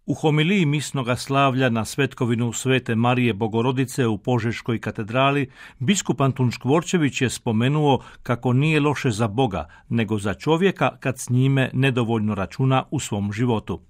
U homiliji misnoga slavlja na svetkovinu Svete Marije Bogorodice u Požeškoj katedrali, biskup Antun Škvorčević je spomenuo kako nije loše za Boga, nego za čovjeka kad s njime nedovoljno računa u svom životu.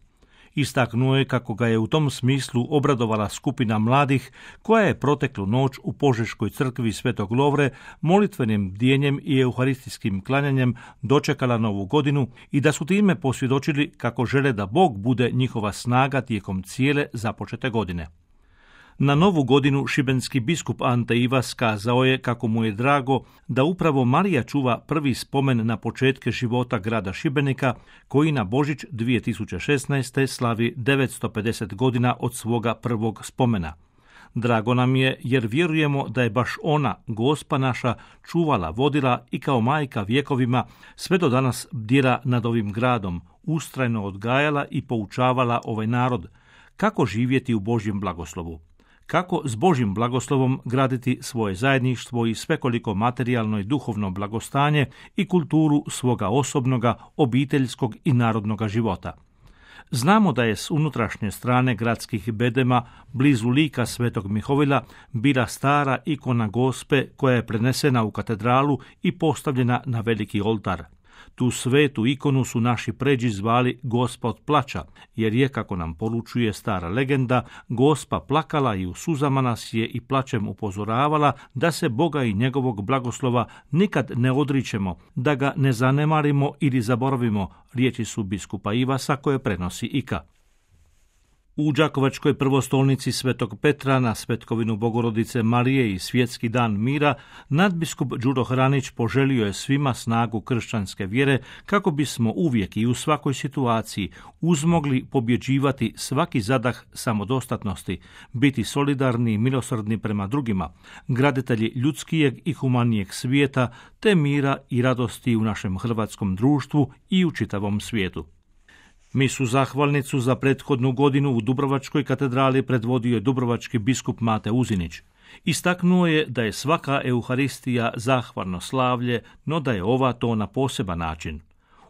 Istaknuo je kako ga je u tom smislu obradovala skupina mladih koja je proteklu noć u Požeškoj crkvi Svetog Lovre molitvenim bdijenjem i euharistijskim klanjanjem dočekala novu godinu i da su time posvjedočili kako žele da Bog bude njihova snaga tijekom cijele započete godine. Na novu godinu šibenski biskup Ante Ivas kazao je kako mu je drago da upravo Marija čuva prvi spomen na početke života grada Šibenika, koji na Božić 2016. slavi 950 godina od svoga prvog spomena. Drago nam je jer vjerujemo da je baš ona, Gospa naša, čuvala, vodila i kao majka vjekovima sve do danas bdjela nad ovim gradom, ustrajno odgajala i poučavala ovaj narod kako živjeti u Božjem blagoslovu. Kako s Božjim blagoslovom graditi svoje zajedništvo i svekoliko materijalno i duhovno blagostanje i kulturu svoga osobnoga, obiteljskog i narodnoga života. Znamo da je s unutrašnje strane gradskih bedema, blizu lika Svetog Mihovila, bila stara ikona Gospe koja je prenesena u katedralu i postavljena na veliki oltar. Tu svetu ikonu su naši pređi zvali Gospa od plača, jer je, kako nam poručuje stara legenda, Gospa plakala i u suzama nas je i plačem upozoravala da se Boga i njegovog blagoslova nikad ne odričemo, da ga ne zanemarimo ili zaboravimo, riječi su biskupa Ivasa koje prenosi Ika. U Đakovačkoj prvostolnici Svetog Petra na svetkovinu Bogorodice Marije i Svjetski dan mira, nadbiskup Đuro Hranić poželio je svima snagu kršćanske vjere kako bismo uvijek i u svakoj situaciji uzmogli pobjeđivati svaki zadah samodostatnosti, biti solidarni i milosrdni prema drugima, graditelji ljudskijeg i humanijeg svijeta, te mira i radosti u našem hrvatskom društvu i u čitavom svijetu. Misu zahvalnicu za prethodnu godinu u Dubrovačkoj katedrali predvodio je dubrovački biskup Mate Uzinić. Istaknuo je da je svaka euharistija zahvalno slavlje, no da je ova to na poseban način.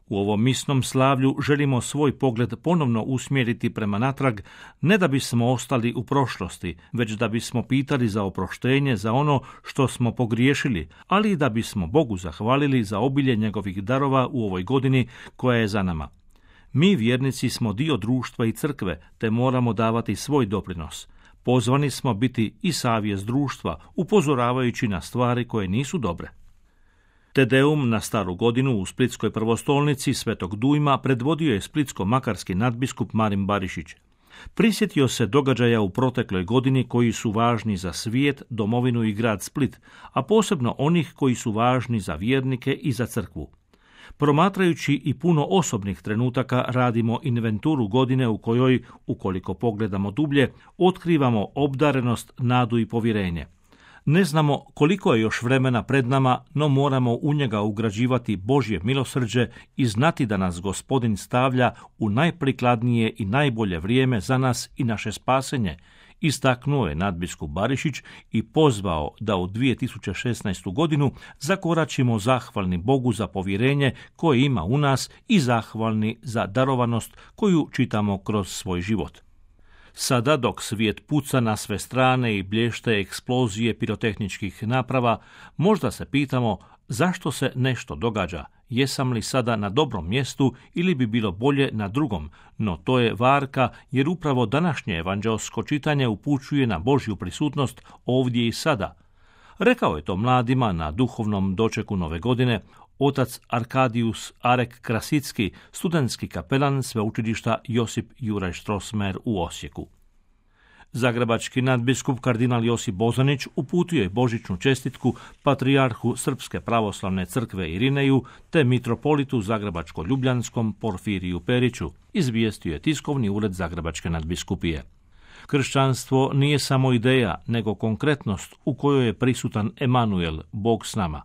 U ovom misnom slavlju želimo svoj pogled ponovno usmjeriti prema natrag, ne da bismo ostali u prošlosti, već da bismo pitali za oproštenje za ono što smo pogriješili, ali i da bismo Bogu zahvalili za obilje njegovih darova u ovoj godini koja je za nama. Mi vjernici smo dio društva i crkve, te moramo davati svoj doprinos. Pozvani smo biti i savjest društva, upozoravajući na stvari koje nisu dobre. Te Deum na staru godinu u Splitskoj prvostolnici Svetog Dujma predvodio je splitsko-makarski nadbiskup Marin Barišić. Prisjetio se događaja u protekloj godini koji su važni za svijet, domovinu i grad Split, a posebno onih koji su važni za vjernike i za crkvu. Promatrajući i puno osobnih trenutaka radimo inventuru godine u kojoj, ukoliko pogledamo dublje, otkrivamo obdarenost, nadu i povjerenje. Ne znamo koliko je još vremena pred nama, no moramo u njega ugrađivati Božje milosrđe i znati da nas Gospodin stavlja u najprikladnije i najbolje vrijeme za nas i naše spasenje, istaknuo je nadbiskup Barišić i pozvao da u 2016. godinu zakoračimo zahvalni Bogu za povjerenje koje ima u nas i zahvalni za darovanost koju čitamo kroz svoj život. Sada, dok svijet puca na sve strane i blješte eksplozije pirotehničkih naprava, možda se pitamo zašto se nešto događa, jesam li sada na dobrom mjestu ili bi bilo bolje na drugom, no to je varka jer upravo današnje evanđelsko čitanje upućuje na Božju prisutnost ovdje i sada. Rekao je to mladima na duhovnom dočeku nove godine otac Arkadius Arek Krasicki, studentski kapelan sveučilišta Josip Juraj Strossmayer u Osijeku. Zagrebački nadbiskup kardinal Josip Bozanić uputio je božićnu čestitku patrijarhu Srpske pravoslavne crkve Irineju te mitropolitu zagrebačko-ljubljanskom Porfiriju Periću, izvijestio je tiskovni ured Zagrebačke nadbiskupije. Kršćanstvo nije samo ideja, nego konkretnost u kojoj je prisutan Emanuel, Bog s nama.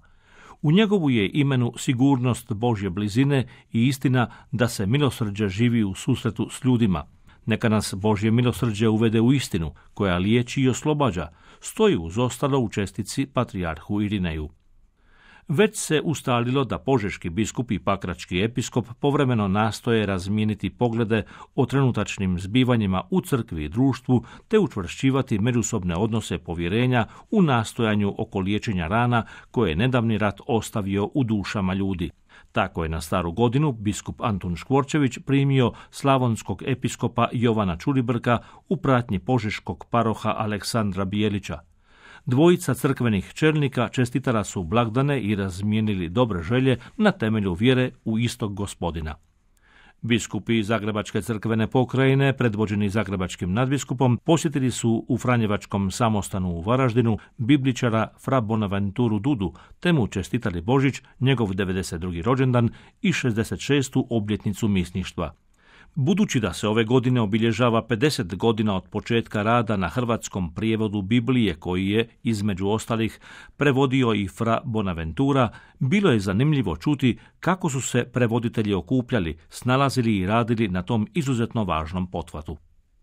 U njegovu je imenu sigurnost Božje blizine i istina da se milosrđe živi u susretu s ljudima. Neka nas Božje milosrđe uvede u istinu, koja liječi i oslobađa, stoji uz ostalo u čestici patrijarhu Irineju. Već se ustalilo da požeški biskup i pakrački episkop povremeno nastoje razmijeniti poglede o trenutačnim zbivanjima u crkvi i društvu te učvršćivati međusobne odnose povjerenja u nastojanju oko liječenja rana koje je nedavni rat ostavio u dušama ljudi. Tako je na Staru godinu biskup Antun Škvorčević primio slavonskog episkopa Jovana Čulibrka u pratnji požeškog paroha Aleksandra Bijelića. Dvojica crkvenih čelnika čestitala su blagdane i razmijenili dobre želje na temelju vjere u istog Gospodina. Biskupi Zagrebačke crkvene pokrajine, predvođeni zagrebačkim nadbiskupom, posjetili su u Franjevačkom samostanu u Varaždinu bibličara Fra Bonaventuru Dudu, te mu čestitali Božić, njegov 92. rođendan i 66. obljetnicu misništva. Budući da se ove godine obilježava 50 godina od početka rada na hrvatskom prijevodu Biblije, koji je, između ostalih, prevodio i Fra Bonaventura, bilo je zanimljivo čuti kako su se prevoditelji okupljali, snalazili i radili na tom izuzetno važnom pothvatu.